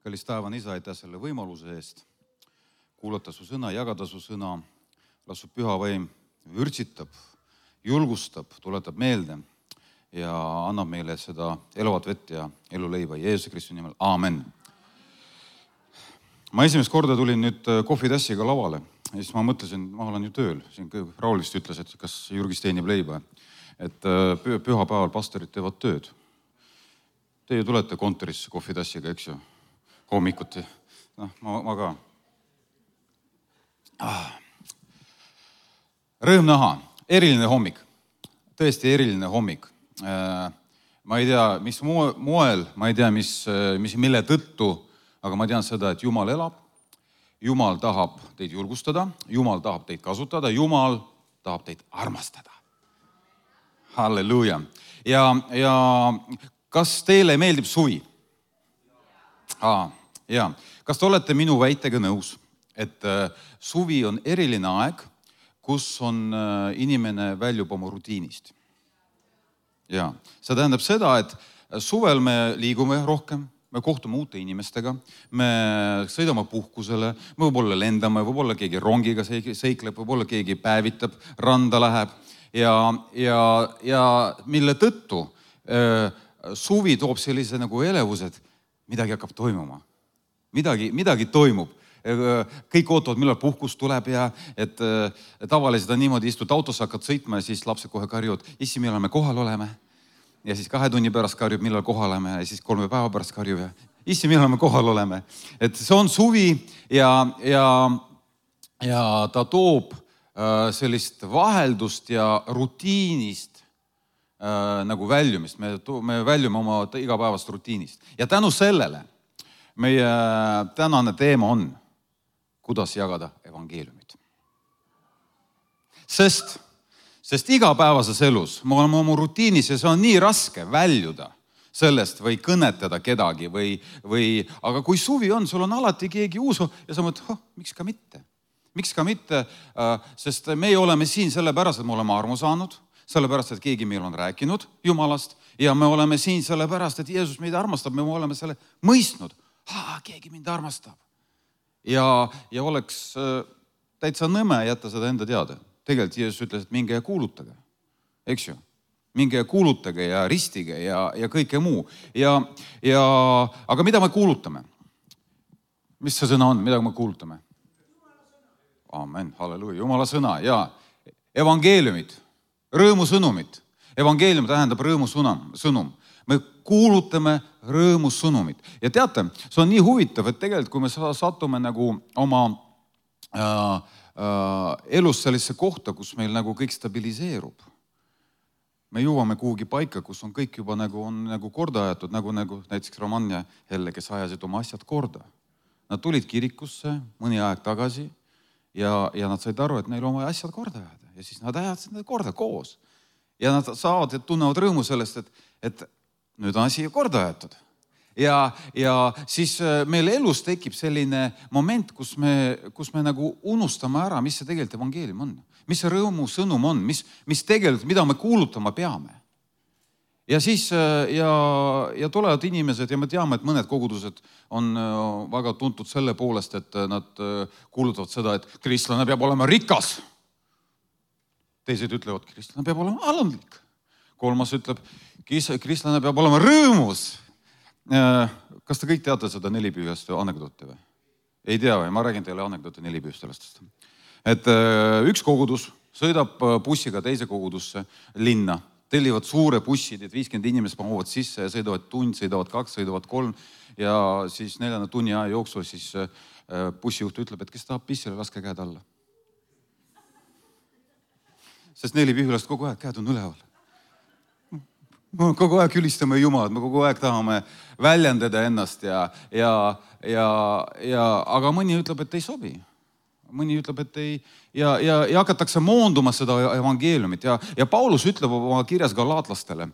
Kallis taevane Isa, aitäh selle võimaluse eest kuulata su sõna, jagada su sõna. Las su püha vaim vürtsitab, julgustab, tuletab meelde ja annab meile seda elavat vett ja eluleiva. Jeesuse Kristuse nimel. Aamen. Ma esimest korda tulin nüüd kohvitassiga lavale ja siis ma mõtlesin, ma olen ju tööl. Siin Raul vist ütles, et kas Jürgis teenib leiba. Et pühapäeval pastorid teevad tööd. Teie tulete kontorisse kohvitassiga, eks ju? Hommikuti. Ma ka. Rõõm näha. Eriline hommik. Tõesti eriline hommik. Ma ei tea, mis moel, ma ei tea, mille tõttu, aga ma tean seda, et Jumal elab. Jumal tahab teid julgustada. Jumal tahab teid kasutada. Jumal tahab teid armastada. Halleluuja. Ja kas teile meeldib suvi? Ja. Kas te olete minu väitega nõus, et suvi on eriline aeg, kus on inimene väljub oma rutiinist? Ja. See tähendab seda, et suvel me liigume rohkem, me kohtume uute inimestega, me sõidame puhkusele, me võib-olla lendame, võib-olla keegi rongiga seikleb, võib-olla keegi päevitab, randa läheb ja mille tõttu suvi toob sellise nagu elevused, midagi hakkab toimuma. Midagi toimub. Kõik ootavad, millal puhkus tuleb ja et tavaliselt on niimoodi, istud autos, hakkad sõitma ja siis lapsed kohe karjud, issi, millal me kohal oleme. Ja siis 2 tunni pärast karjub, millal kohal oleme ja siis 3 päeva pärast karjub ja issi, millal me kohal oleme. Et see on suvi ja ta toob sellist vaheldust ja rutiinist nagu väljumist. Me väljume oma igapäevast rutiinist. Ja tänu sellele meie tänane teema on, kuidas jagada evangeeliumit. Sest igapäevases elus me oleme oma rutiinis ja see on nii raske väljuda sellest või kõnetada kedagi aga kui suvi on, sul on alati keegi uus ja sa mõtled, miks ka mitte? Miks ka mitte? Sest me oleme siin sellepärast, et me oleme armu saanud, sellepärast, et keegi meil on rääkinud Jumalast ja me oleme siin sellepärast, et Jeesus meid armastab, me oleme selle mõistnud. Keegi mind armastab. Ja oleks täitsa nõme jätta seda enda teada. Tegelikult Jeesus ütles, et minge ja kuulutage. Eks ju? Minge ja kuulutage ja ristige ja kõike muu. Aga mida me kuulutame? Mis see sõna on? Mida me kuulutame? Amen, halleluuja. Jumala sõna ja evangeeliumit, rõõmusõnumit. Evangeelium tähendab rõõmusõnum. Me kuulutame rõõmussõnumit. Ja teate, see on nii huvitav, et tegelikult kui me satume nagu oma elus sellesse kohta, kus meil nagu kõik stabiliseerub. Me jõuame kuhugi paika, kus on kõik juba nagu korda ajatud, nagu näiteks Roman ja Helle, kes ajasid oma asjad korda. Nad tulid kirikusse mõni aeg tagasi ja nad said aru, et neil oma asjad korda ajada. Ja siis nad ajasid need korda koos. Ja nad saavad ja tunnevad rõõmu sellest, et nüüd on asi korda ajatud. Ja siis meil elus tekib selline moment, kus me nagu unustame ära, mis see tegelikult evangeelium on. Mis see rõõmu sõnum on, mis tegelikult, mida me kuulutama peame. Ja siis ja tulevad inimesed ja me teame, et mõned kogudused on väga tuntud selle poolest, et nad kuulutavad seda, et kristlane peab olema rikas. Teised ütlevad, kristlane peab olema alandlik. Kolmas ütleb, kristlane peab olema rõõmus. Kas te kõik teate seda nelipühjast anekdoote või? Ei tea või? Ma räägin teile anekdoote nelipühjast. Et üks kogudus sõidab bussiga teise kogudusse linna, tellivad suure bussid, et 50 inimest mahuvad sisse ja sõidavad tund, sõidavad 2, sõidavad 3 ja siis 4 tunni aja jooksul siis bussijuht ütleb, et kes tahab pissile, laske käed alla. Sest nelipühjast kogu aeg käed on üleval. Me kogu aeg ülistame Jumalat, me kogu aeg tahame väljendada ennast aga mõni ütleb, et ei sobi. Mõni ütleb, et ei ja hakatakse moonduma seda evangeeliumit ja Paulus ütleb oma kirjas galaatlastele.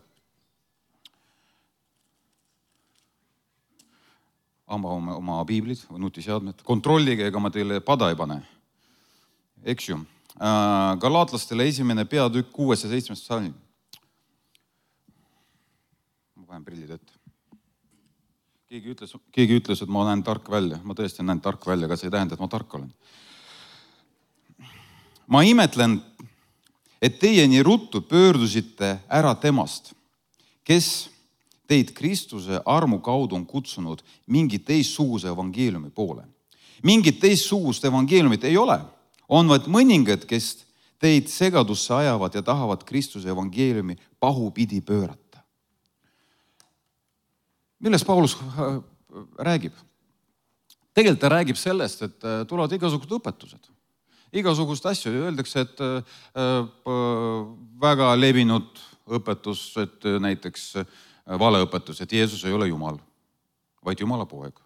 Oma piiblid või nutiseadmed, kontrollige, ega ma teile pada ei pane. Eks ju. Galaatlastele 1. peatükk 6. ja 7. salm. Ma panen prillid ette. Keegi ütles, et ma näen tark välja. Ma tõesti näen tark välja, aga see ei tähenda, et ma tark olen. Ma imetlen, et teie nii ruttu pöördusite ära temast, kes teid Kristuse armu kaudu on kutsunud mingi teistsuguse evangeeliumi poole. Mingit teistsugust evangeeliumit ei ole. On vaid mõningad, kes teid segadusse ajavad ja tahavad Kristuse evangeeliumi pahupidi pöörata. Millest Paulus räägib? Tegelikult ta räägib sellest, et tulevad igasugused õpetused. Igasugust asju. Öeldakse, et väga levinud õpetus, et näiteks valeõpetus, et Jeesus ei ole Jumal, vaid Jumala poeg.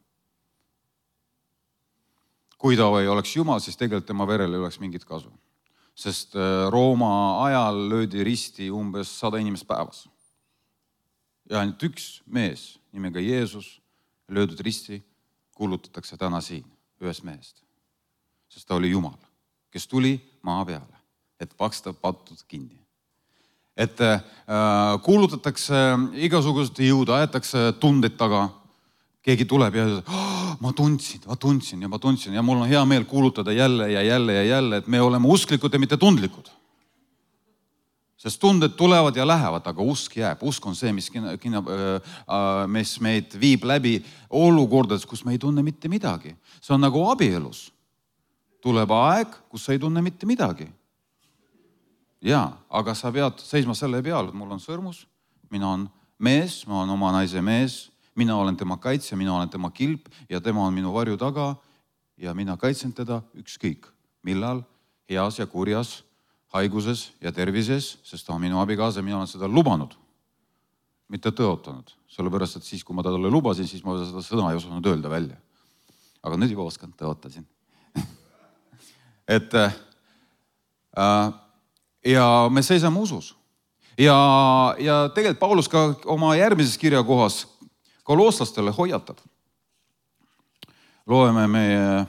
Kui ta ei oleks Jumal, siis tegelikult tema verel ei oleks mingit kasu. Sest Rooma ajal löödi risti umbes 100 inimest päevas. Ja ainult üks mees nimega Jeesus löödud risti kuulutatakse täna siin ühest mehest. Sest ta oli Jumal, kes tuli maa peale, et paksta pattud kinni. Et kuulutatakse igasugust jõudu, aetakse tunded taga. Keegi tuleb ja ütleb, ma tundsin ja mul on hea meel kuulutada jälle ja jälle ja jälle, et me oleme usklikud ja mitte tundlikud. Sest tunded tulevad ja lähevad, aga usk jääb. Usk on see, mis meid viib läbi olukordades, kus me ei tunne mitte midagi. See on nagu abielus. Tuleb aeg, kus sa ei tunne mitte midagi. Jaa, aga sa pead seisma selle peal, et mul on sõrmus, mina on mees, ma olen oma naise mees, mina olen tema kaitsja, mina olen tema kilp ja tema on minu varju taga ja mina kaitsen teda ükskõik. Millal? Heas ja kurjas, haiguses ja tervises, sest ta on minu abikaasa, mina olen seda lubanud, mitte tõotanud. Sellepärast, et siis, kui ma talle lubasin, siis ma seda sõna ei osanud öelda välja. Aga nüüd juba oskan, tõotasin. Ja me seisame usus. Ja tegelikult Paulus ka oma järgmises kirjakohas kolooslastele hoiatab. Loeme meie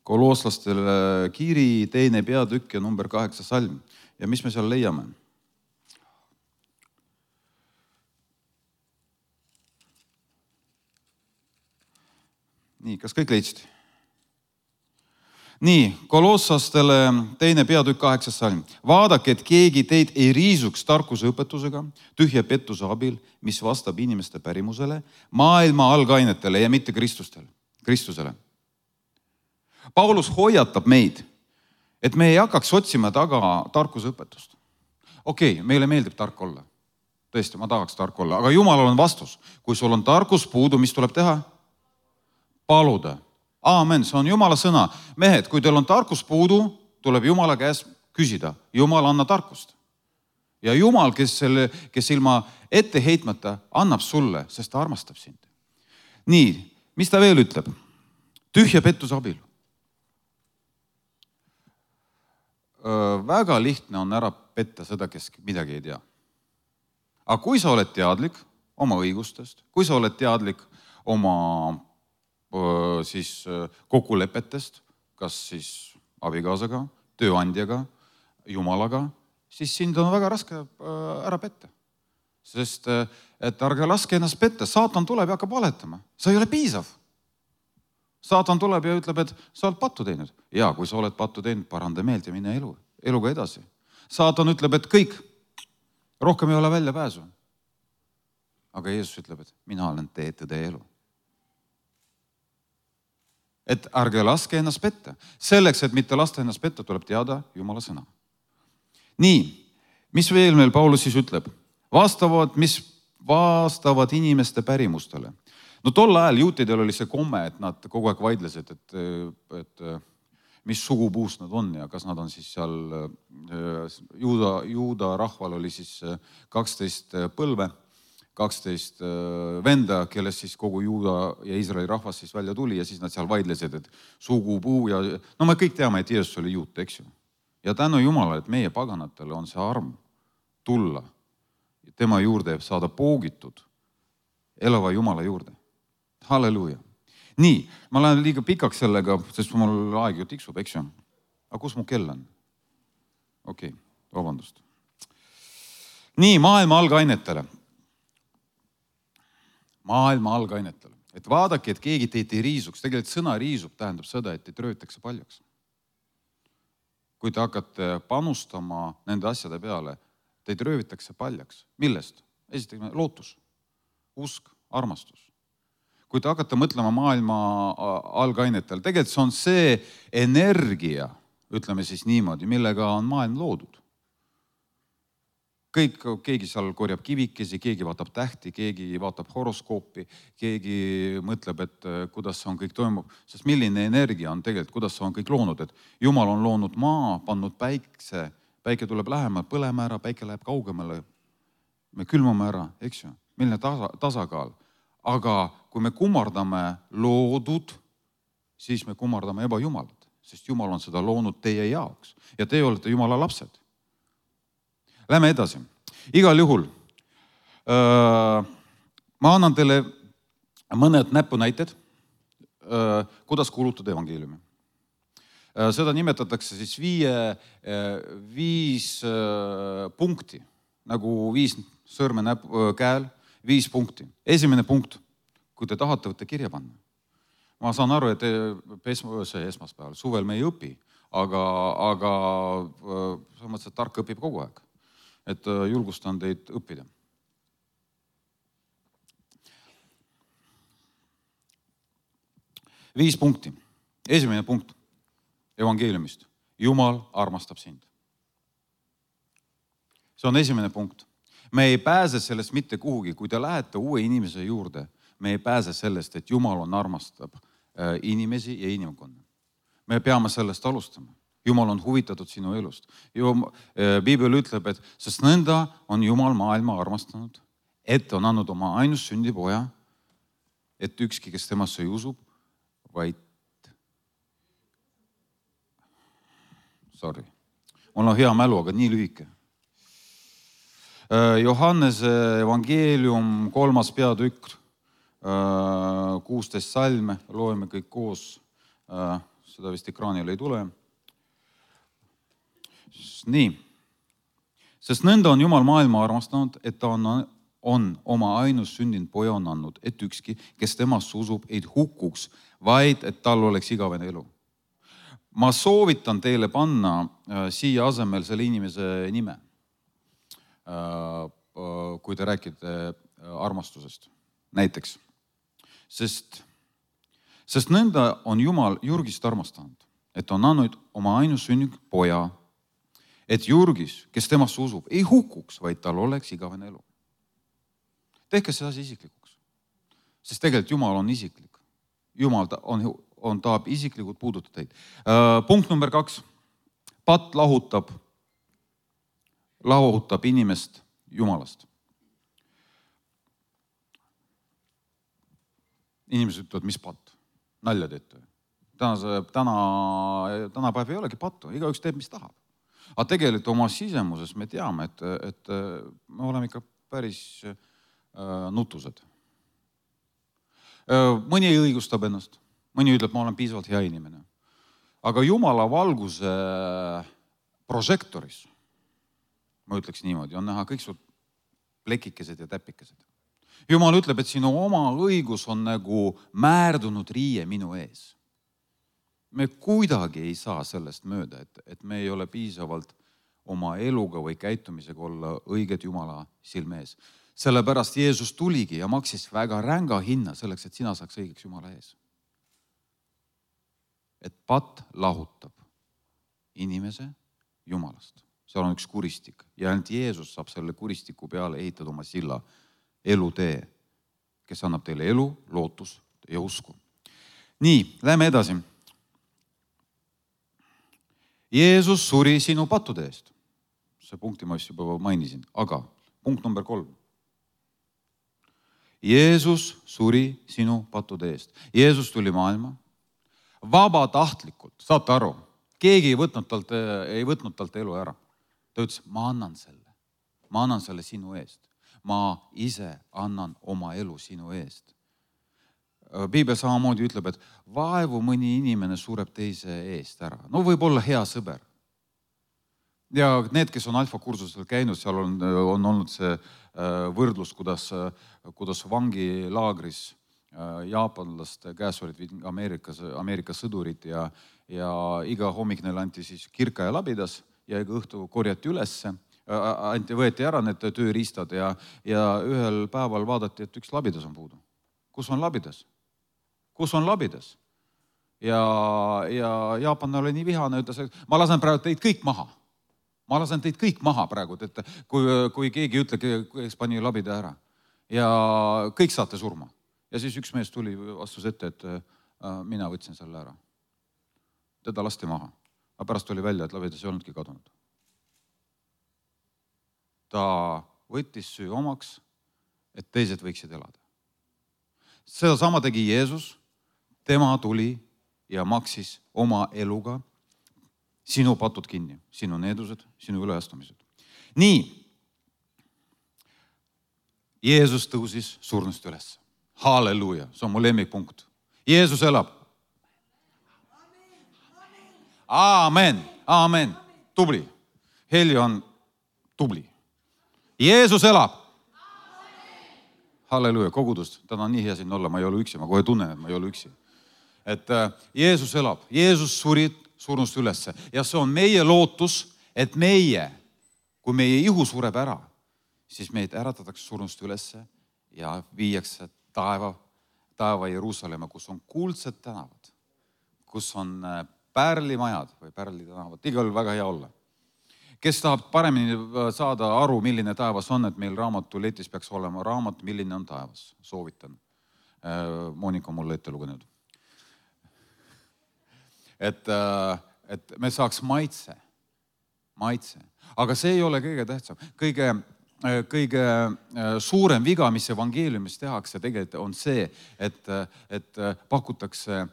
kolooslastele kiri 2. peatükk ja number 8 salm. Ja mis me seal leiame? Nii, kas kõik leidsid? Nii, kolooslastele 2. peatükk 8 salm. Vaadake, et keegi teid ei riisuks tarkuse õpetusega, tühja pettuse abil, mis vastab inimeste pärimusele, maailma algainetele ja mitte Kristusele. Paulus hoiatab meid, et me ei hakkaks otsima taga tarkuse õpetust. Okei, meile meeldib tark olla. Tõesti, ma tahaks tark olla, aga Jumalal on vastus. Kui sul on tarkus puudu, mis tuleb teha? Paluda. Aamen, see on Jumala sõna. Mehed, kui teil on tarkus puudu, tuleb Jumala käes küsida. Jumal anna tarkust. Ja Jumal, kes ilma ette heitmata annab sulle, sest ta armastab sind. Nii, mis ta veel ütleb? Tühja pettuse abil. Väga lihtne on ära petta seda, kes midagi ei tea. Aga kui sa oled teadlik oma õigustest, kui sa oled teadlik oma siis kokkulepetest, kas siis abikaasaga, tööandjaga, Jumalaga, siis sind on väga raske ära petta. Sest et ärge laske ennast petta, saatan tuleb ja hakkab valetama. See ei ole piisav. Saatan tuleb ja ütleb, et sa oled pattu teinud. Ja kui sa oled pattu teinud, paranda meelt ja mine eluga edasi. Saatan ütleb, et kõik, rohkem ei ole välja pääsu. Aga Jeesus ütleb, et mina olen tee, tõde ja elu. Et ärge laske ennast petta. Selleks, et mitte lasta ennast petta, tuleb teada Jumala sõna. Nii, mis veel meil Paulus siis ütleb? Mis vastavad inimeste pärimustele. No tol ajal juutidel oli see komme, et nad kogu aeg vaidlesid, et mis sugupuust nad on ja kas nad on siis seal, juuda rahval oli siis 12 põlve, 12 venda, kellest siis kogu Juuda ja Iisraeli rahvas siis välja tuli ja siis nad seal vaidlesid, et sugupuu ja no me kõik teame, et Jeesus oli juut, eks ju. Ja tänu Jumalale, et meie paganatele on see arm tulla tema juurde saada poogitud elava Jumala juurde. Halleluuja. Nii, ma lähen liiga pikaks sellega, sest mul aeg ju tiksub, eks ju. Aga kus mu kell on? Okei, vabandust. Nii, maailma algainetele. et vaadake, et keegi teid ei riisuks. Tegelikult sõna riisub tähendab seda, et teid röötakse paljaks. Kui te hakkate panustama nende asjade peale, teid röövitakse paljaks. Millest? Esiteks lootus, usk, armastus. Kui te hakkate mõtlema maailma algainetel, tegelikult see on see energia, ütleme siis niimoodi, millega on maailm loodud. Keegi seal korjab kivikesi, keegi vaatab tähti, keegi vaatab horoskoopi, keegi mõtleb, et kuidas see on kõik toimub. Sest milline energia on tegelikult, kuidas see on kõik loonud, et Jumal on loonud maa, pannud päikse, päike tuleb lähemale, põleme ära, päike läheb kaugemale, me külmame ära, eks ju, milline tasakaal. Aga kui me kummardame loodud, siis me kummardame ebajumalat, sest Jumal on seda loonud teie jaoks ja teie olete Jumala lapsed. Lähme edasi. Igal juhul ma annan teile mõned näpunäited, kuidas kuulutada evangeeliumi. Seda nimetatakse siis viis punkti, nagu 5 sõrme käel, 5 punkti. Esimene punkt, kui te tahate, võtte kirja panna. Ma saan aru, et esmaspäeval, suvel me ei õpi, aga sa mõttes, et tark õpib kogu aeg. Et julgustan teid õppida. Viis punkti. Esimene punkt evangeeliumist. Jumal armastab sind. See on esimene punkt. Me ei pääse sellest mitte kuhugi. Kui te lähete uue inimese juurde, me ei pääse sellest, et Jumal armastab inimesi ja inimkonna. Me peame sellest alustama. Jumal on huvitatud sinu elust. Piibel ütleb, et sest nõnda on Jumal maailma armastanud, et on andnud oma ainus sündipoja, et ükski, kes temasse ei usub, vaid... Mul on hea mälu, aga nii lühike. Johannese evangeelium 3. peatükk, 16 salme, loeme kõik koos, seda vist ekraanil ei tule. Nii, sest nõnda on Jumal maailma armastanud, et ta on oma ainus sündinud poja on andnud, et ükski, kes temast usub, ei hukuks, vaid et tal oleks igavene elu. Ma soovitan teile panna siia asemel selle inimese nime, kui te räägite armastusest, näiteks. Sest nõnda on Jumal Jurgist armastanud, et on andnud oma ainus sündinud poja, et Jurgis, kes temast usub, ei hukuks, vaid tal oleks igavene elu. Tehke see asi isiklikuks. Sest tegelikult Jumal on isiklik. Jumal tahab isiklikult puudutada teid. Punkt number 2. Patt lahutab inimest Jumalast. Inimesed ütlevad, mis patt? Nalja teete. Tänapäev ei olegi pattu. Igaüks teeb, mis tahab. Aga tegelikult oma sisemuses me teame, et me oleme ikka päris nutused. Mõni õigustab ennast, mõni ütleb, ma olen piisavalt hea inimene. Aga Jumala valguse prožektoris, ma ütleks niimoodi, on näha kõik su plekikesed ja täpikesed. Jumal ütleb, et sinu oma õigus on nagu määrdunud riie minu ees. Me kuidagi ei saa sellest mööda, et me ei ole piisavalt oma eluga või käitumisega olla õiged Jumala silme ees. Sellepärast Jeesus tuligi ja maksis väga ränga hinna selleks, et sina saaks õigeks Jumala ees. Et patt lahutab inimese Jumalast. Seal on üks kuristik ja ainult Jeesus saab selle kuristiku peale ehitada oma silla elutee, kes annab teile elu, lootus ja usku. Nii, lähme edasi. Jeesus suri sinu pattude eest. See punkti ma just juba mainisin, aga punkt number 3. Jeesus suri sinu pattude eest. Jeesus tuli maailma vabatahtlikult, saate aru, keegi ei võtnud talt elu ära. Ta ütles, ma annan selle sinu eest. Ma ise annan oma elu sinu eest. Piibel samamoodi ütleb, et vaevu mõni inimene sureb teise eest ära. No võib olla hea sõber. Ja need, kes on alfa-kursusel käinud, seal on olnud see võrdlus, kuidas vangilaagris jaapanlaste käes olid Ameerika sõdurid ja iga hommik neile anti siis kirka ja labidas ja iga õhtu korjati ülesse, võeti ära need tööriistad ja ühel päeval vaadati, et üks labidas on puudu. Kus on labidas? Kus on labidas? Ja jaapanlane oli nii vihane, ütles, et ma lasen praegu teid kõik maha. Ma lasen teid kõik maha praegu, et kui keegi ütle, kes pani labida ära. Ja kõik saate surma. Ja siis üks mees tuli, vastus ette, et mina võtsin selle ära. Teda lasti maha. Aga pärast oli välja, et labidas ei olnudki kadunud. Ta võttis süü omaks, et teised võiksid elada. Seda sama tegi Jeesus. Tema tuli ja maksis oma eluga sinu patud kinni, sinu needused, sinu üleastumised. Nii, Jeesus tõusis surnust üles. Halleluuja, see on mu lemmikpunkt. Jeesus elab. Aamen, aamen. Tubli. Heli on tubli. Jeesus elab. Halleluuja, kogudust. Täna on nii hea siin olla, ma ei ole üksi, ma kohe tunnen, et ma ei ole üksi. Et Jeesus elab. Jeesus suri surnust ülesse. Ja see on meie lootus, et meie, kui meie ihu sureb ära, siis meid äratatakse surnust ülesse ja viiakse taeva Jeruusalemma, kus on kuldsed tänavad, kus on pärlimajad või pärlitänavad. Igal väga hea olla. Kes tahab paremini saada aru, milline taevas on, et meil raamatuletis peaks olema raamat, milline on taevas. Soovitan. Monika mulle ette lugenud. Et me saaks maitse. Aga see ei ole kõige tähtsam. Kõige suurem viga, mis evangeeliumis tehakse, tegelikult on see, et pakutakse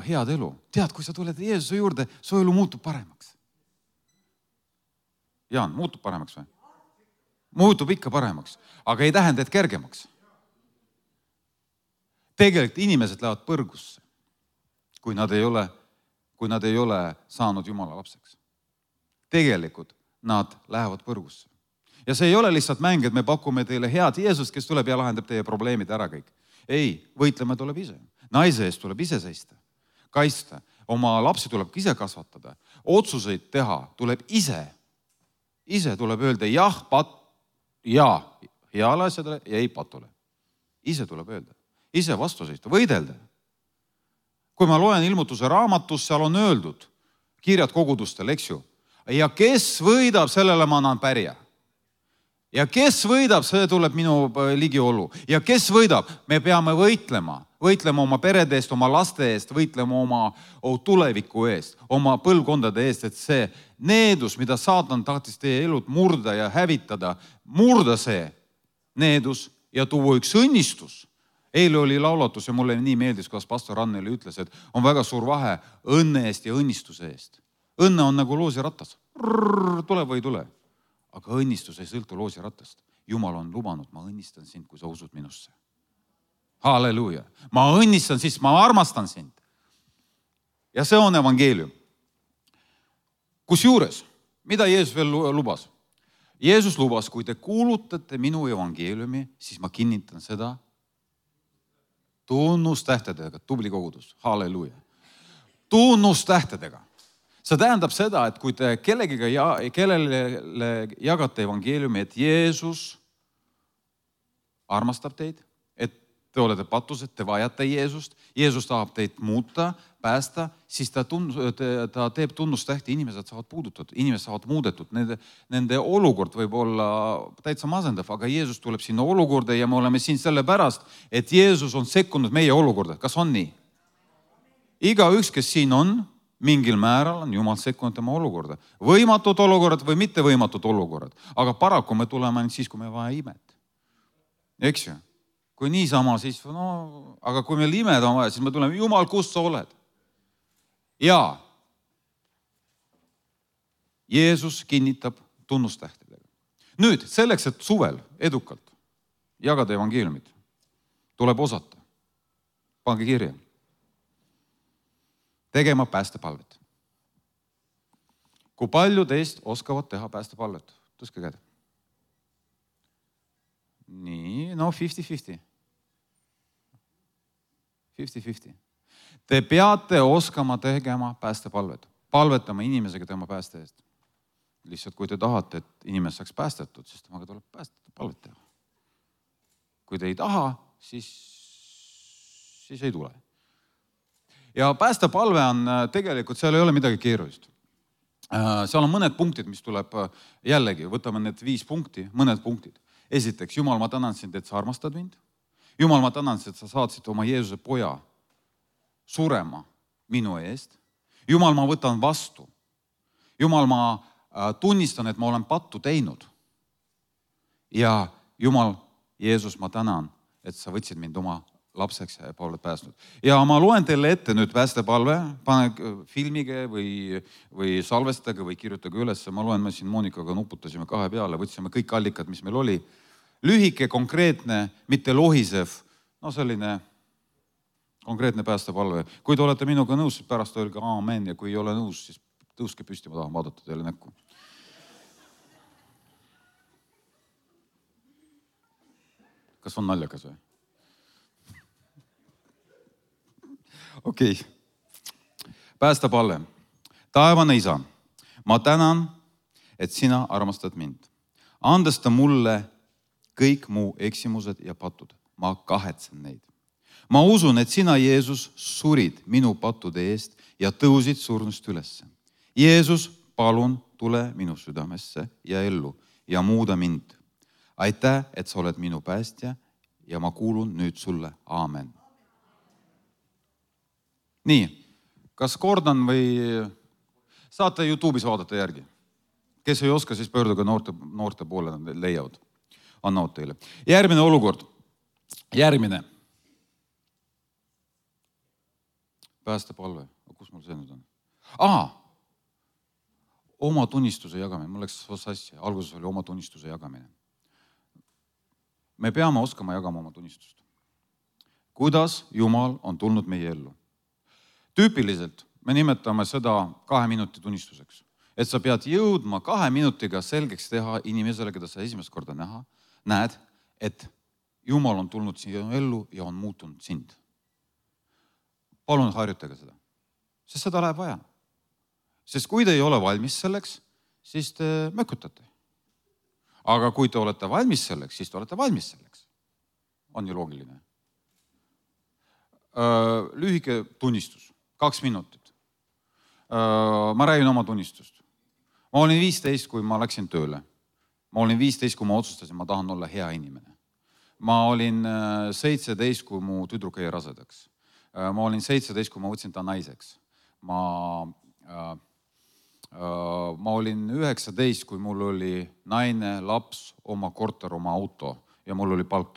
head elu. Tead, kui sa tuled Jeesuse juurde, su elu muutub paremaks. Jaan, muutub paremaks või? Muutub ikka paremaks, aga ei tähenda, et kergemaks. Tegelikult inimesed lähevad põrgusse, kui nad ei ole saanud Jumala lapseks. Tegelikult nad lähevad põrgusse. Ja see ei ole lihtsalt mäng, et me pakume teile head Jeesust, kes tuleb ja lahendab teie probleemid ära kõik. Ei, võitlema tuleb ise. Naise eest tuleb ise seista, kaista. Oma lapsi tuleb ise kasvatada. Otsuseid teha tuleb ise. Ise tuleb öelda jah, heale asjadele ja ei patule. Ise tuleb öelda. Ise vastu seista, võidelda. Kui ma loen ilmutuse raamatus, seal on öeldud kirjad kogudustel, eks ju. Ja kes võidab, sellele ma annan pärja. Ja kes võidab, see tuleb minu ligiolu. Ja kes võidab, me peame võitlema oma perede eest, oma laste eest, võitlema oma tuleviku eest, oma põlvkondade eest, et see needus, mida saatan tahtis teie elud murda ja hävitada, murda see needus ja tuua üks õnnistus. Eile oli laulatus ja mulle nii meeldis, kuidas pastor Anneli ütles, et on väga suur vahe õnne eest ja õnnistuse eest. Õnne on nagu loosiratas. Tule või ei tule. Aga õnnistus ei sõltu loosiratast. Jumal on lubanud, ma õnnistan sind, kui sa usud minusse. Halleluuja. Ma õnnistan siis, ma armastan sind. Ja see on evangeelium. Kusjuures, mida Jeesus veel lubas? Jeesus lubas, kui te kuulutate minu evangeeliumi, siis ma kinnitan seda tunnustähtedega, tubli kogudus. Halleluuja. Tunnustähtedega. See tähendab seda, et kui te kellele jagate evangeeliumi, et Jeesus armastab teid, et te olete patused, te vajate Jeesust, Jeesus tahab teid muuta, päästa, siis ta teeb tunnustähti, inimesed saavad puudutatud, inimesed saavad muudetud, nende olukord võib olla täitsa masendav, aga Jeesus tuleb sinna olukorda ja me oleme siin sellepärast, et Jeesus on sekkunud meie olukorda. Kas on nii? Igaüks, kes siin on, mingil määral on Jumal sekkunud tema olukorda. Võimatud olukorrad või mitte võimatud olukorrad. Aga paraku me tuleme ainult siis, kui me vaja imet. Eks ju? Kui niisama, siis aga kui meil imed on vaja, siis me tuleme, Jumal, kus sa oled? Ja Jeesus kinnitab tunnustähtedega. Nüüd, selleks, et suvel edukalt jagada evangeeliumit, tuleb osata. Pange kirja. Tegema päästepalvet. Kui palju teist oskavad teha päästepalvet? Tõstke käed. Nii, 50-50. 50-50. Te peate oskama tegema päästepalvet, palvetama inimesega tema pääste eest. Lihtsalt kui te tahate, et inimene saaks päästetud, siis temaga tuleb palvet teha. Kui te ei taha, siis ei tule. Ja päästepalve on tegelikult, seal ei ole midagi keerulist. Seal on mõned punktid, mis tuleb jällegi, võtame need 5 punkti, mõned punktid. Esiteks, Jumal, ma tänan sind, et sa armastad mind. Jumal, ma tänan sind, et sa saatsid oma Jeesuse poja surema minu eest. Jumal, ma võtan vastu. Jumal, ma tunnistan, et ma olen pattu teinud. Ja Jumal, Jeesus, ma tänan, et sa võtsid mind oma lapseks ja oled päästnud. Ja ma loen teile ette nüüd päästepalve, pane filmige või salvestage või kirjutage üles. Ma loen, me siin Monikaga nuputasime 2 peale, võtsime kõik allikad, mis meil oli. Lühike, konkreetne, mitte lohisev, selline konkreetne päästepalve. Kui te olete minuga nõus, siis pärast öelge aamen ja kui ei ole nõus, siis tõuske püsti, ma tahan vaadata teile näkku. Kas on naljakas või? Okei. Päästepalve. Taevane Isa, ma tänan, et sina armastad mind. Andesta mulle kõik mu eksimused ja patud. Ma kahetsen neid. Ma usun, et sina, Jeesus, surid minu pattude eest ja tõusid surnust ülesse. Jeesus, palun tule minu südamesse ja ellu ja muuda mind. Aitäh, et sa oled minu päästja ja ma kuulun nüüd sulle. Aamen. Nii, kas kordan või saate YouTube'is vaadata järgi? Kes ei oska, siis pöörduge noorte poole, nad leiavad. Annavad teile. Järgmine olukord. Järgmine. Päästepalve. Kus mul see nüüd on? Oma tunnistuse jagamine. Mul läks sassi. Alguses oli oma tunnistuse jagamine. Me peame oskama jagama oma tunnistust. Kuidas Jumal on tulnud meie ellu? Tüüpiliselt me nimetame seda 2 minuti tunnistuseks. Et sa pead jõudma 2 minutiga selgeks teha inimesele, keda sa esimest korda näed, et Jumal on tulnud siia ellu ja on muutunud sind. Palun harjutage seda. Sest seda läheb vaja. Sest kui te ei ole valmis selleks, siis te mökutate. Aga kui te olete valmis selleks, siis te olete valmis selleks. On ju loogiline. Lühike tunnistus. 2 minutit. Ma räägin oma tunnistust. Ma olin 15, kui ma läksin tööle. Ma olin 15, kui ma otsustasin, ma tahan olla hea inimene. Ma olin 17, kui mu tüdruk jäi rasedaks. Ma olin 17, kui ma võtsin ta naiseks. Ma olin 19, kui mul oli naine, laps, oma korter, oma auto ja mul oli palk $.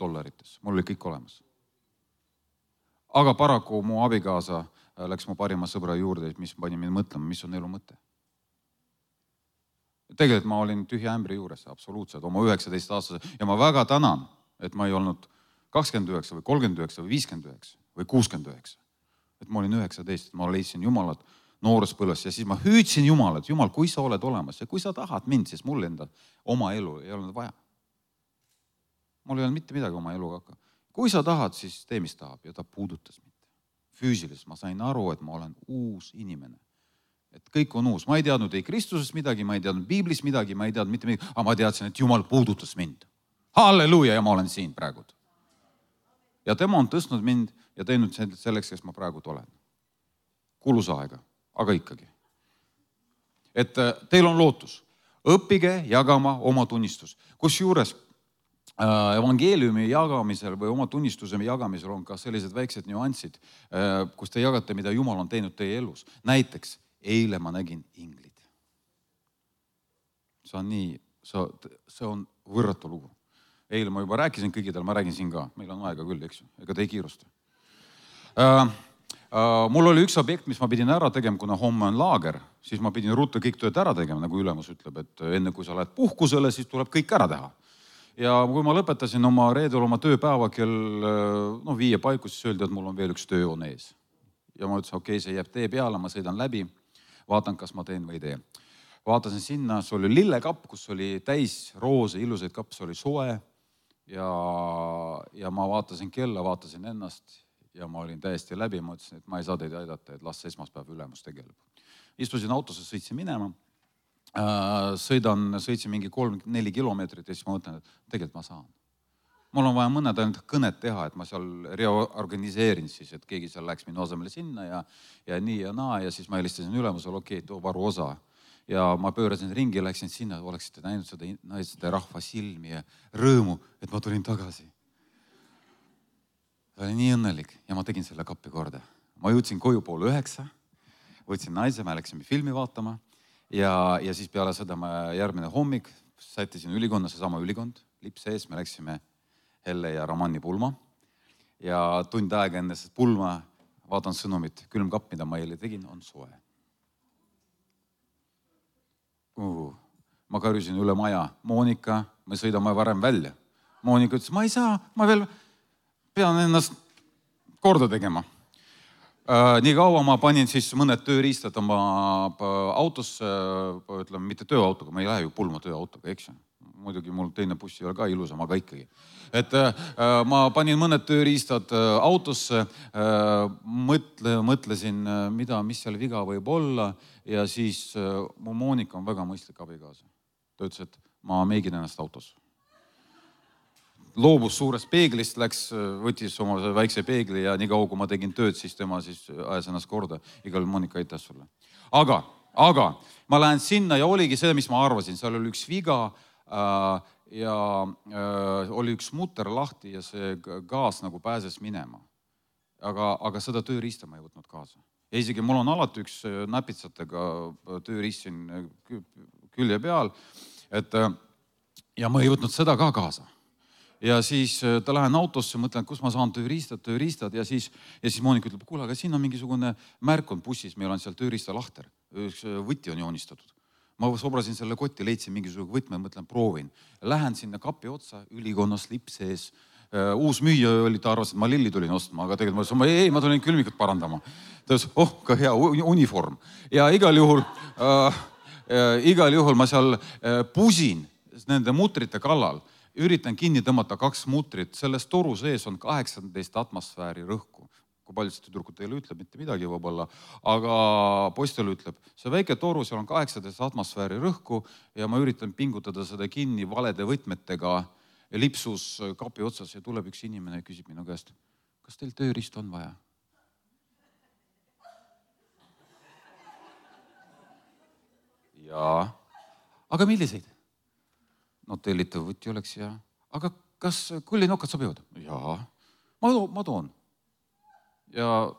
Mul oli kõik olemas. Aga paraku mu abikaasa läks mu parima sõbra juurde, mis pani mind mõtlema, mis on elu mõte. Tegelikult ma olin tühja ämbri juures, absoluutselt, oma 19-aastase ja ma väga tänan, et ma ei olnud 29 või 39 või 59 või 69. Et ma olin 19, ma leidsin Jumalat nooruspõlves ja siis ma hüüdsin Jumalat, Jumal, kui sa oled olemas ja kui sa tahad mind, siis mul enda oma elu ei olnud vaja. Mul ei olnud mitte midagi oma eluga hakka. Kui sa tahad, siis tee, mis tahab ja ta puudutas mind. Füüsiliselt ma sain aru, et ma olen uus inimene. Et kõik on uus. Ma ei teadnud ei Kristusest midagi, ma ei teadnud Piiblis midagi, ma ei teadnud mitte midagi, aga ma teadsin, et Jumal puudutas mind. Halleluuja, ja ma olen siin praegu. Ja tema on tõstnud mind ja teinud selleks, kes ma praegu olen. Kulus aega, aga ikkagi. Et teil on lootus. Õppige jagama oma tunnistus. Kusjuures evangeeliumi jagamisel või oma tunnistuse jagamisel on ka sellised väiksed nüansid, kus te jagate, mida Jumal on teinud teie elus. Näiteks, eile ma nägin inglit. See on võrratu lugu. Eile ma juba rääkisin kõigidel, ma räägin siin ka. Meil on aega küll, eks ju. Ega te ei kiirusta. Mul oli üks objekt, mis ma pidin ära tegema, kuna homme on laager, siis ma pidin ruttu kõik tööd ära tegema, nagu ülemus ütleb, et enne kui sa lähed puhkusele, siis tuleb kõik ära teha. Ja kui ma lõpetasin reedel oma tööpäeva kell 5 paiku, siis öeldi, et mul on veel üks töö on ees. Ja ma ütlesin, okei, see jääb tee peale, ma sõidan läbi, vaatan, kas ma teen või ei tee. Vaatasin sinna, see oli lillekapp, kus oli täis roose, ilusaid kapp, see oli soe ja ma vaatasin kella, vaatasin ennast ja ma olin täiesti läbi, ma ütlesin, et ma ei saa teid aidata, et las esmaspäev ülemus tegeleb. Istusin autosse, sõitsin minema, sõitsin mingi 3-4 kilomeetrit ja siis ma mõtlen, et tegelikult ma saan. Mul on vaja mõned ainult kõnet teha, et ma seal reorganiseerin siis, et keegi seal läks minu asemele sinna ja nii ja naa ja siis ma helistasin ülemusele, okei, too varu osa. Ja ma pöörasin ringi, läksin sinna, oleksite näinud seda naiste rahva silmi ja rõõmu, et ma tulin tagasi. Ta oli nii õnnelik ja ma tegin selle kappi korda. Ma jõudsin koju 8:30, võtsin naise, me läksime filmi vaatama ja siis peale seda ma järgmine hommik sättisin ülikonna, seesama ülikond, lips ees, me läksime Helle ja Ramanni pulma ja tund aega enne pulma vaatan sõnumit, külmkapp, mida ma eile tegin, on soe. Ma karjusin üle maja, Moonika, me sõidame varem välja. Moonika ütles, ma ei saa, ma veel pean ennast korda tegema. Nii kaua ma panin siis mõned tööriistad oma autosse, ütleme, mitte tööautoga, ma ei lähe ju pulma tööautoga, eks ju. Muidugi mul teine buss ei ole ka ilusam, aga ikkagi. Et ma panin mõned tööriistad autosse, mõtlesin, mis seal viga võib olla ja siis mu Moonika on väga mõistlik abikaasa. Ta ütles, et ma meigin ennast autos. Loobus suurest peeglist, võttis oma väikse peegli ja nii kaua, kui ma tegin tööd, siis tema siis ajas ennast korda. Igal Moonika aitäh sulle. Aga ma lähen sinna ja oligi see, mis ma arvasin. Seal oli üks viga ja oli üks mutter lahti ja see gaas nagu pääses minema. Aga seda tööriista ma ei võtnud kaasa. Ja isegi mul on alati üks näpitsatega tööriist siin külje peal, ja ma ei võtnud seda ka kaasa. Ja siis ta lähen autosse, mõtlen, kus ma saan tööriistad ja siis Moonika ütleb, kuule, aga siin on mingisugune märk on bussis, meil on seal tööriista lahter, üks võti on joonistatud. Ma sobrasin selle kotti, leidsin mingisugune võtme, mõtlen, proovin. Lähen sinna kapi otsa, ülikonnas lips ees. Uus müüja oli, ta arvas, et ma lilli tulin ostma, aga tegelikult ma tulin külmikut parandama. Ta ütles, ka hea uniform. Ja igal juhul ma seal pusin nende mutrite kallal, üritan kinni tõmmata 2 mutrit, selles toru sees on 18 atmosfääri rõhku. Kui paljud seda tüdrukut teile ütleb, mitte midagi võib-olla, aga poistel ütleb, see väike toru, seal on 18 atmosfääri rõhku ja ma üritan pingutada seda kinni valede võtmetega lipsus kapi otsas ja tuleb üks inimene ja küsib minu käest, kas teil tööriist on vaja? Jaa. Aga milliseid? No tellitav võti oleks ja. Aga kas kullinokad sobivad? Jaa. Ma toon. Ja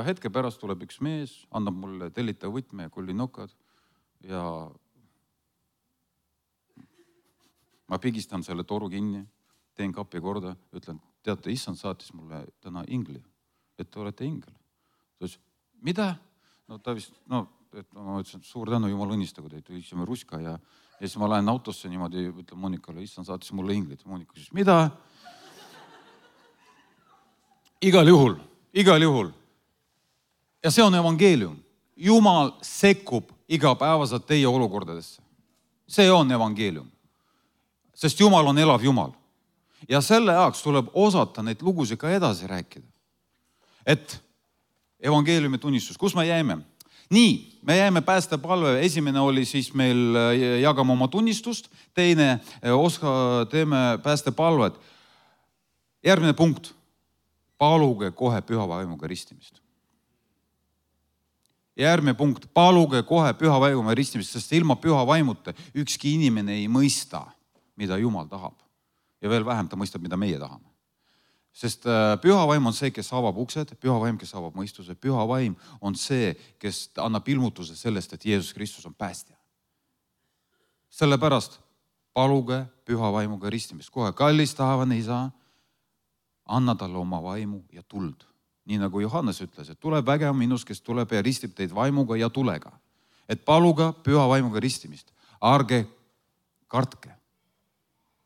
hetke pärast tuleb üks mees, annab mulle tellitav võtme ja kullinokad ja ma pigistan selle toru kinni, teen kapi korda, ütlen, teate, issand saatis mulle täna ingli, et te olete ingel. Ta ütles, mida? No ta vist, ma ütlesin, suur tänu, jumal õnnistagu teid, isime ruska ja siis ma lähen autosse niimoodi, ütlen Moonikale, issand saatis mulle inglit. Moonika ütles, mida? Igal juhul. Ja see on evangeelium. Jumal sekkub igapäevaselt teie olukordadesse. See on evangeelium. Sest Jumal on elav Jumal. Ja selle jaoks tuleb osata neid lugusid ka edasi rääkida. Et evangeeliumi tunnistus, kus me jäime? Nii, me jäime päästepalve. Esimene oli siis meil jagama oma tunnistust. Teine teeme päästepalvet. Järgmine punkt. Paluge kohe püha vaimuga ristimist. Järgmine punkt. Paluge kohe püha vaimuga ristimist, sest ilma püha vaimuta ükski inimene ei mõista, mida Jumal tahab. Ja veel vähem ta mõistab, mida meie tahame. Sest püha vaim on see, kes avab uksed, püha vaim, kes avab mõistuse, püha vaim on see, kes annab ilmutuse sellest, et Jeesus Kristus on päästja. Sellepärast paluge püha vaimuga ristimist. Kohe kallis taevane isa, anna talle oma vaimu ja tuld. Nii nagu Johannes ütles, et tuleb vägev minus, kes tuleb ja ristib teid vaimuga ja tulega. Et paluga püha vaimuga ristimist. Ärge kartke.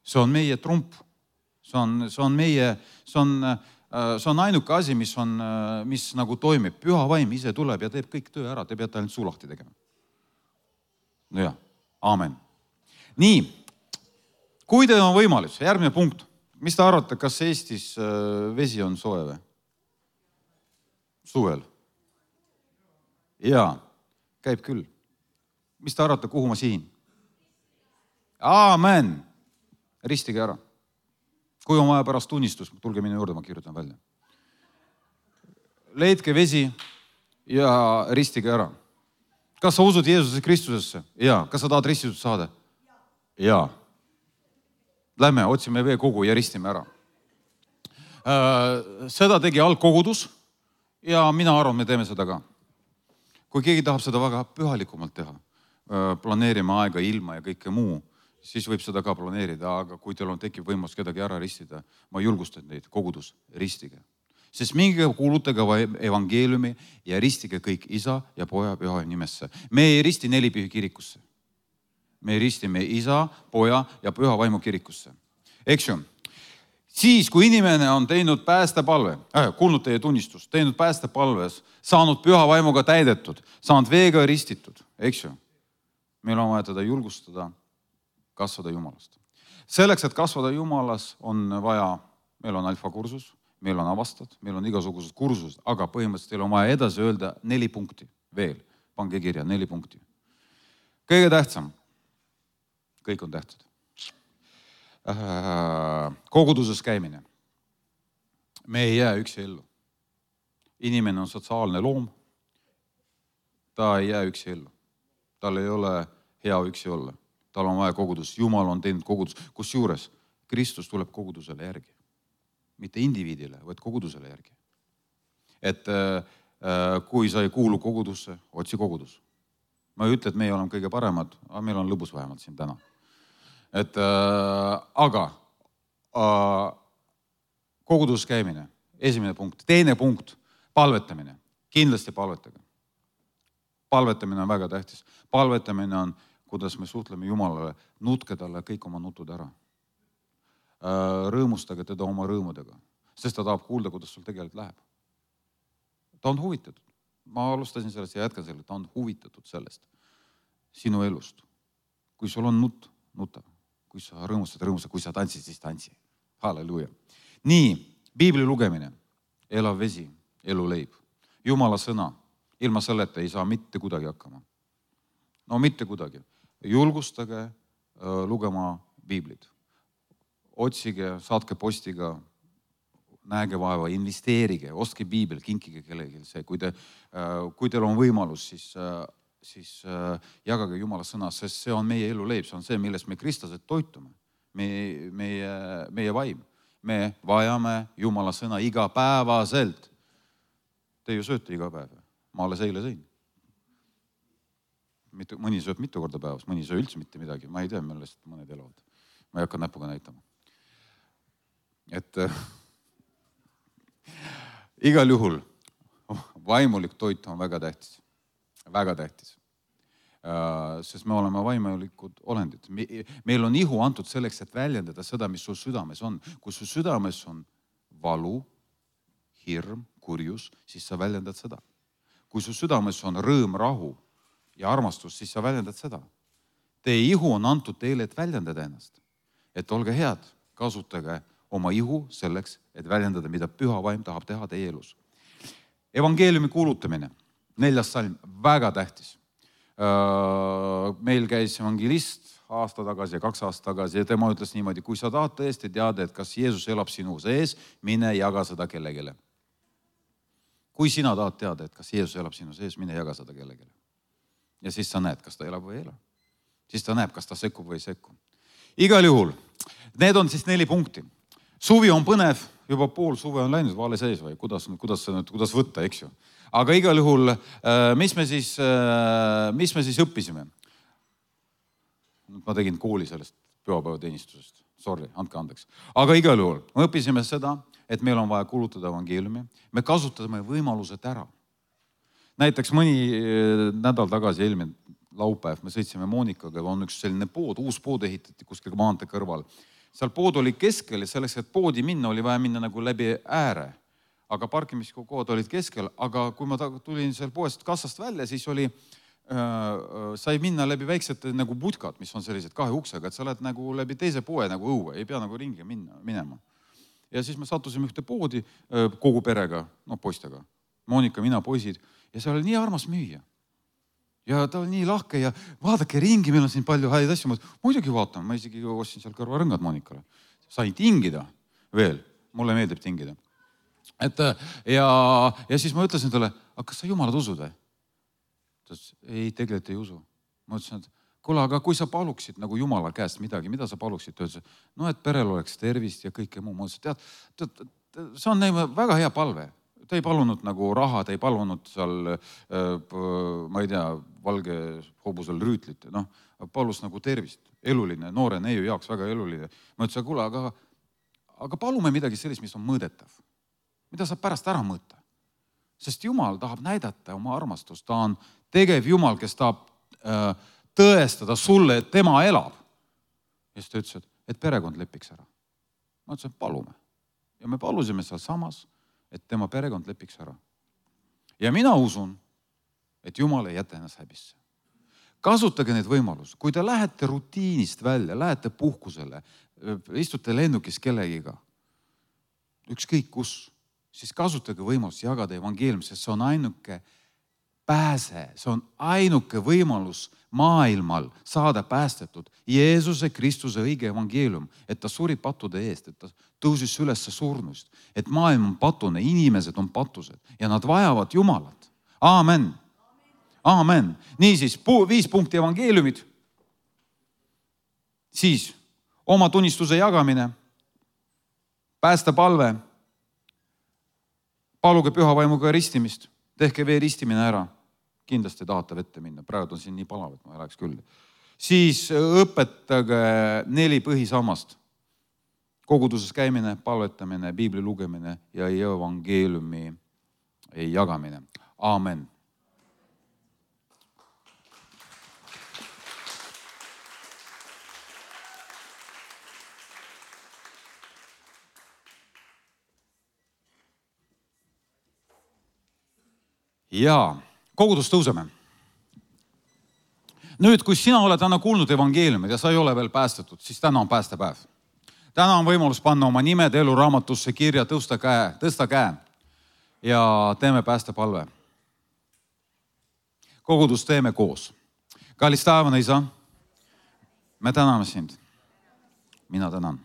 See on meie trump. See on ainuke asi, mis nagu toimib. Püha vaim ise tuleb ja teeb kõik töö ära. Te peate ainult suu lahti tegema. No jah, aamen. Nii, kui teil on võimalus, järgmine punkt. Mis te arvate, kas Eestis vesi on soe või? Suvel? Jaa, käib küll. Mis te arvate, kuhu ma sihin? Aamen! Ristige ära. Kui on vaja pärast tunnistus, tulge minu juurde, ma kirjutan välja. Leidke vesi ja ristige ära. Kas sa usud Jeesuse Kristusesse? Jaa. Kas sa tahad ristitud saada? Jaa. Lähme, otsime veekogu ja ristime ära. Seda tegi algkogudus ja mina arvan, me teeme seda ka. Kui keegi tahab seda väga pühalikumalt teha, planeerime aega, ilma ja kõike muu, siis võib seda ka planeerida, aga kui teil tekib võimalus kedagi ära ristida, ma julgustan neid, kogudus, ristige. Sest minge kuulutage evangeeliumi ja ristige kõik Isa ja Poja Püha nimesse. Me ei risti Nelipühi kirikusse. Me ristime Isa, Poja ja Püha Vaimu kirikusse. Eks ju? Siis, kui inimene on teinud päästepalve, kuulnud teie tunnistust, teinud päästepalves, saanud Püha Vaimuga täidetud, saanud veega ristitud, eks ju? Meil on vaja teda julgustada, kasvada Jumalast. Selleks, et kasvada Jumalas, on vaja, meil on alfakursus, meil on avastad, meil on igasugused kursused, aga põhimõtteliselt teil on vaja edasi öelda 4 punkti veel. Pange kirja 4 punkti. Kõige tähtsam. Kõik on tähtsad. Koguduses käimine. Me ei jää üksi ellu. Inimene on sotsiaalne loom. Ta ei jää üksi ellu. Tal ei ole hea üksi olla. Tal on vaja kogudus. Jumal on teinud kogudus. Kusjuures Kristus tuleb kogudusele järgi. Mitte indiviidile, vaid kogudusele järgi. Et kui sa ei kuulu kogudusse, otsi kogudus. Ma ei ütle, et meie oleme kõige paremad, aga meil on lõbus vähemalt siin täna. Aga koguduses käimine, esimene punkt. Teine punkt, palvetamine. Kindlasti palvetage. Palvetamine on väga tähtis. Palvetamine on, kuidas me suhtleme Jumalale, nutke talle kõik oma nutud ära. Rõõmustage teda oma rõõmudega, sest ta tahab kuulda, kuidas sul tegelikult läheb. Ta on huvitatud. Ma alustasin sellest ja jätkan selle. Ta on huvitatud sellest sinu elust. Kui sul on nuta. Kui sa rõõmustad, kui sa tantsid, siis tantsi. Halleluja. Nii, piibli lugemine, elav vesi, elu leib. Jumala sõna, ilma selleta ei saa mitte kuidagi hakkama. No mitte kuidagi. Julgustage lugema piiblit. Otsige, saatke postiga, näege vaeva, investeerige, ostke piibel, kinkige kellelegi see. Kui teil on võimalus, siis jagage Jumala sõna, sest see on meie elu leib, see on see, millest me kristlased toitume, meie vaim. Me vajame Jumala sõna igapäevaselt. Te ju sööte iga päev. Ma alles eile sõin. Mõni sööb mitu korda päevas, mõni söö üldse mitte midagi. Ma ei tea, millest mõned elavad. Ma ei hakka näpuga näitama. Et igal juhul vaimulik toit on väga tähtis. Väga tähtis. Sest me oleme vaimulikud olendid. Meil on ihu antud selleks, et väljendada seda, mis sul südames on. Kui sul südames on valu, hirm, kurjus, siis sa väljendad seda. Kui sul südames on rõõm, rahu ja armastus, siis sa väljendad seda. Teie ihu on antud teile, et väljendada ennast. Et olge head, kasutage oma ihu selleks, et väljendada, mida Püha Vaim tahab teha teie elus. Evangeeliumi kuulutamine, 4. salm, väga tähtis. Meil käis evangelist aasta tagasi ja 2 aastat tagasi ja tema ütles niimoodi, kui sa tahad tõesti teada, et kas Jeesus elab sinu sees, mine jaga seda kellegile. Kui sina tahad teada, et kas Jeesus elab sinu sees, mine jaga seda kellegile. Ja siis sa näed, kas ta elab või ei ela. Siis ta näeb, kas ta sekkub või ei sekku. Igal juhul, need on siis 4 punkti. Suvi on põnev, juba pool suve on läinud vaale sees või kuidas võtta, eks ju. Aga igal juhul, mis me siis õppisime? Ma tegin kooli sellest pühapäevateenistusest. Sorry, andke andeks. Aga igal juhul, me õppisime seda, et meil on vaja kuulutada evangeeliumi. Me kasutame võimalused ära. Näiteks mõni nädal tagasi, eelmine laupäev, me sõitsime Monikaga, on üks selline pood, uus pood ehitati kuskil maantee kõrval. Seal pood oli keskel ja selleks, et poodi minna, oli vaja minna nagu läbi ääre. Aga parkimiskohad olid keskel, aga kui ma tulin seal poest kassast välja, siis sai minna läbi väiksed nagu putkad, mis on sellised 2 uksega, et sa oled nagu läbi teise poe nagu õue, ei pea nagu ringi minema. Ja siis me sattusime ühte poodi kogu perega, poistega. Monika, mina, poisid ja see oli nii armas müüa. Ja ta oli nii lahke ja vaadake ringi, meil on siin palju häid asju. Muidugi vaatan, ma isegi ostsin seal kõrvarõngad Monikale. Sain tingida veel, mulle meeldib tingida. Ja siis ma ütlesin talle, aga kas sa Jumalat usud või? Ta ütles, ei, tegelikult ei usu. Ma ütlesin, et kuule, aga kui sa paluksid nagu Jumala käest midagi, mida sa paluksid? Ta ütles, no et perel oleks tervist ja kõike muu. Ma ütlesin, tead, see on väga hea palve. Ta ei palunud nagu raha, ta ei palunud seal, ma ei tea, valge hobusel rüütlit. No, palus nagu tervist. Eluline, noore neiu jaoks väga eluline. Ma ütlesin, kuule, aga palume midagi sellist, mis on mõõdetav. Mida saab pärast ära mõõta? Sest Jumal tahab näidata oma armastust. Ta on tegev Jumal, kes tahab tõestada sulle, et tema elab. Ja siis ta ütles, et perekond lepiks ära. Ma ütlesin, palume. Ja me palusime seal samas, et tema perekond lepiks ära. Ja mina usun, et Jumal ei jäta ennast häbisse. Kasutage neid võimalusi. Kui te lähete rutiinist välja, lähete puhkusele, istute lennukis kellegiga, ükskõik kus, siis kasutage võimalust jagada evangeelium, sest see on ainuke pääse, see on ainuke võimalus maailmal saada päästetud. Jeesuse Kristuse õige evangeelium, et ta suri pattude eest, et ta tõusis üles surnust, et maailm on patune, inimesed on patused ja nad vajavad Jumalat. Aamen. Aamen. Niisiis, 5 punkti evangeeliumid. Siis oma tunnistuse jagamine, päästepalve, paluge püha vaimuga ristimist, tehke vee ristimine ära. Kindlasti tahate vette minna, praegu on siin nii palav, et ma ei läheks küll. Siis õpetage 4 põhisammast. Koguduses käimine, palvetamine, piibli lugemine ja evangeeliumi jagamine. Aamen. Ja kogudus tõuseme. Nüüd, kui sina oled täna kuulnud evangeeliumid ja sa ei ole veel päästetud, siis täna on päästepäev. Täna on võimalus panna oma nimed eluraamatusse kirja, tõsta käe ja teeme päästepalve. Kogudus teeme koos. Kallis taevane Isa, me täname sind. Mina tänan.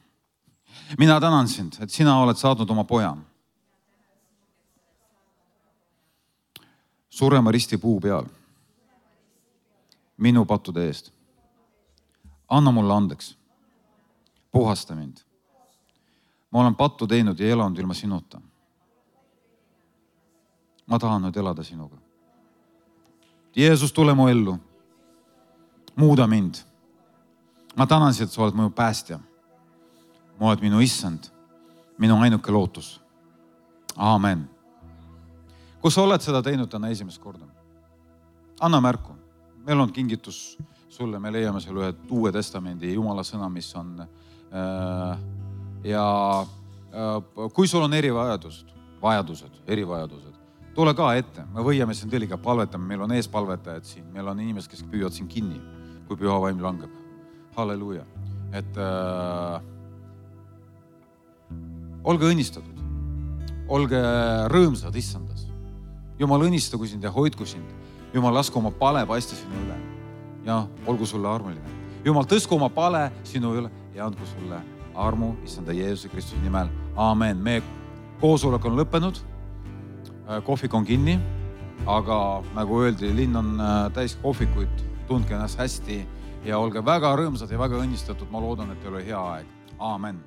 Mina tänan sind, et sina oled saatnud oma poja. Surema risti puu peal. Minu pattude eest. Anna mulle andeks. Puhasta mind. Ma olen pattu teinud ja elanud ilma sinuta. Ma tahan nüüd elada sinuga. Jeesus, tule mu ellu. Muuda mind. Ma tänan sind, et sa oled mu päästja. Ma oled minu issand. Minu ainuke lootus. Aamen. Kui sa oled seda teinud täna esimest korda, anna märku. Meil on kingitus sulle, me leiame seal ühe Uue Testamendi Jumala sõna, mis on kui sul on erivajadused, tule ka ette. Me võiame siin teliga palvetama, meil on eespalvetajad siin, meil on inimesed, kes püüavad siin kinni, kui püha vaim langeb. Halleluuja. Et olge õnnistatud, olge rõõmsad issandas. Jumal õnnistagu sind ja hoidku sind. Jumal lasku oma pale paista sinu üle ja olgu sulle armuline. Jumal tõsku oma pale sinu üle ja andku sulle armu issanda Jeesuse Kristuse nimel. Aamen. Meie koosolek on lõppenud. Kohvik on kinni, aga nagu öeldi, linn on täis kohvikuid. Tundke ennast hästi ja olge väga rõõmsad ja väga õnnistatud. Ma loodan, et teil oli hea aeg. Aamen.